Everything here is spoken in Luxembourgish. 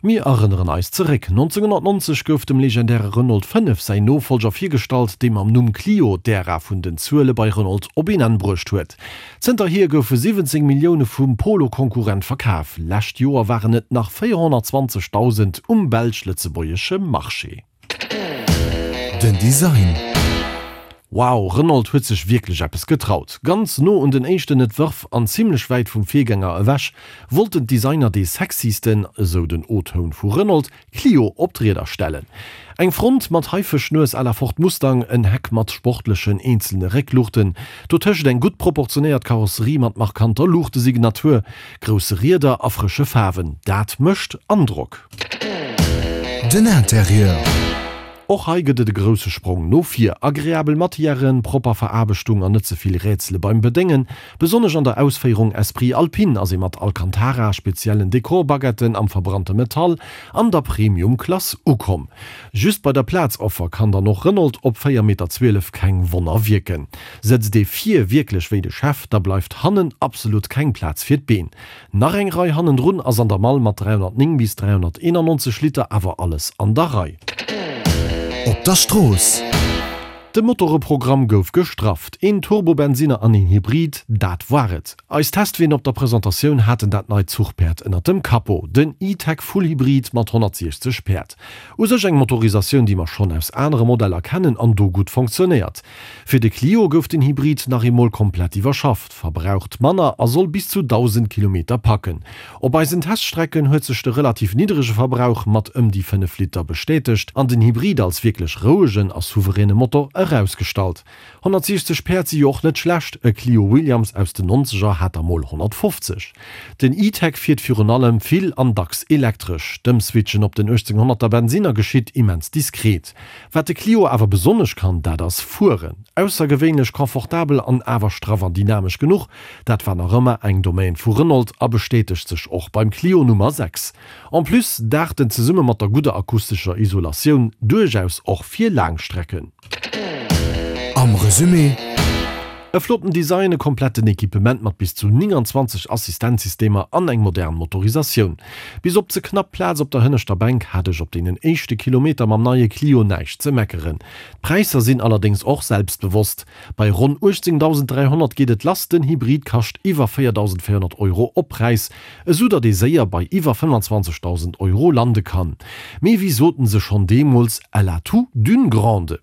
Mir erënneren eis zeréck, 1990 gouf dem legendäre Renault 5 säin Nofollger virgestallt, dee mam Numm Clio d'Ära vun den Zuele bei Renault op een Enn bruecht huet. Zënterhier goufe 17 Millioune vum Polo-Konkurrent verkaf, lescht Joer waren et nach 420.000 um belsch-lëtzebuergesche Marché. Den Design. Wow, Renault huet sech wierklech eppes getraut. Ganz no un den éischten Etwërf an zimlech wäit vum Virgänger ewech, wollten d'Designer dee sexysten, esou den O-Toun vu Renault, Clio op d'Rieder stellen. Eng Front mat Haifëschnues à la Ford Mustang, en Heck mat sportlechen eenzelne Réckluuchten, dotëscht eng gutt proportionéiert Karosserie mat markanter Luuchtesignatur, grousse Rieder a frësche Faarwen, dat mécht Androck. Den Interieur. Och hei gëtt et e grousse Sprong no vir. Agreabel Matièren, propper Veraarbechtung an net ze vill Rätsele beim Bedéngen. Besonnesch an der Ausféierung Esprit Alpine ass ee mat Alcantara, speziellen Dekorbaguetten am verbrannte Metall an der Premium-Klass ukomm. Just bei der Plazoffer kann dann och Renault op 4,12 Meter keng Wonner wierken. Sëtzt ee vir wierklech wéi de Chef, da bleift hannen absolut keng Plaz fir d'Been. Nach eng Rei hannendrun ass an der Mall mat 309 bis 391 Liter awer alles an der Rei. Op der Strooss. De Motoreprogramm gouf gestrafft, een Turbobensinner an een Hybrid, dat war et. Eis Testween op der Presentatioun haten dat neit Zuchpäerd ënnert dem Capot, den E-Tech Full Hybrid mat 160 Päerd. U sech eng Motorisatioun, déi mer schonn aus anere Modeller kennen an do gutt fonctionnéiert. Fir de Clio gouf den Hybrid nach eemol komplett iwwerschafft. Verbraucht manner a soll bis zu 1.000 Kilometer packen. Op eisen Teststrecken huet sech de relativ niddrege Verbrauch mat ëm déi 5 Liter bestätegt an den Hybrid als wierklech rouegen a souveräne Motor erausgestallt. 160 Päerd si jo och net schlecht, e Clio Williams aus den Nonzeger hat der mol 150. Den E-Tech fiert virun allem vill an dacks elektresch. D'Ëmswitchen op den 1800er Bensinner geschitt immens diskret. Wat de Clio awer besonnesch kann, dat ass fueren. Aussergewéinlech confortabel an awer straff an dynamesch genuch, dat war nach ëmmer eng Domaine vu Renault a bestätegt sech och beim Clio Nummer 6. En plus daacht en zesumme mat der gudder akustescher Isolatioun duerchaus och fir Laangstrecken. Am Resumé. E flotten Design, e kompletten Equipement mat bis zu 29 Assistenzsystemer an eng modern Motorisatioun. Bis op ze knapp Plaz op der hënneschter Bänk hat ech op deenen éischte Kilometer mam neie Clio näischt ze meckeren. D'Präisser sinn allerdéngs och selbstbewosst. Bei ronn 18.300 geet et lass, den Hybrid kascht iwwer 4.400 Euro Oppräis, esou datt ee séier bei iwwer 25.000 Euro lande kann. Mee wéi soten se schonn deemools, Elle a tout d'une grande.